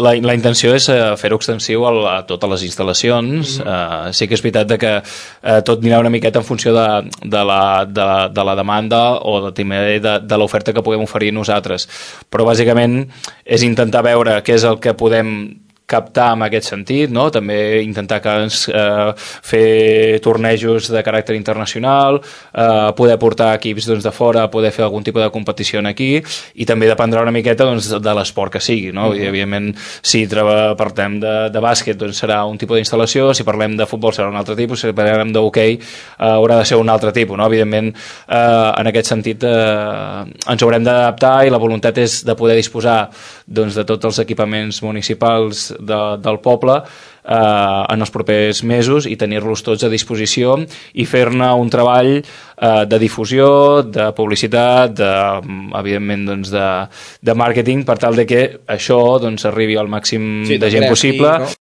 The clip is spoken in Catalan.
La intenció és fer-ho extensiu a totes les instal·lacions. Sí que és veritat que tot anirà una miqueta en funció de la demanda o també de l'oferta que puguem oferir nosaltres, però bàsicament és intentar veure què és el que podem captar en aquest sentit, no? També intentar fer tornejos de caràcter internacional, poder portar equips de fora, poder fer algun tipus de competició aquí, i també dependrà una miqueta de l'esport que sigui, no? I, evidentment, si parlem de bàsquet serà un tipus d'instal·lació, si parlem de futbol serà un altre tipus, si parlem d'hoquei haurà de ser un altre tipus, no? Evidentment, en aquest sentit ens haurem d'adaptar, i la voluntat és de poder disposar de tots els equipaments municipals del poble en els propers mesos i tenir-los tots a disposició i fer-ne un treball de difusió, de publicitat, evidentment de màrqueting, per tal de que això arribi al màxim de gent possible.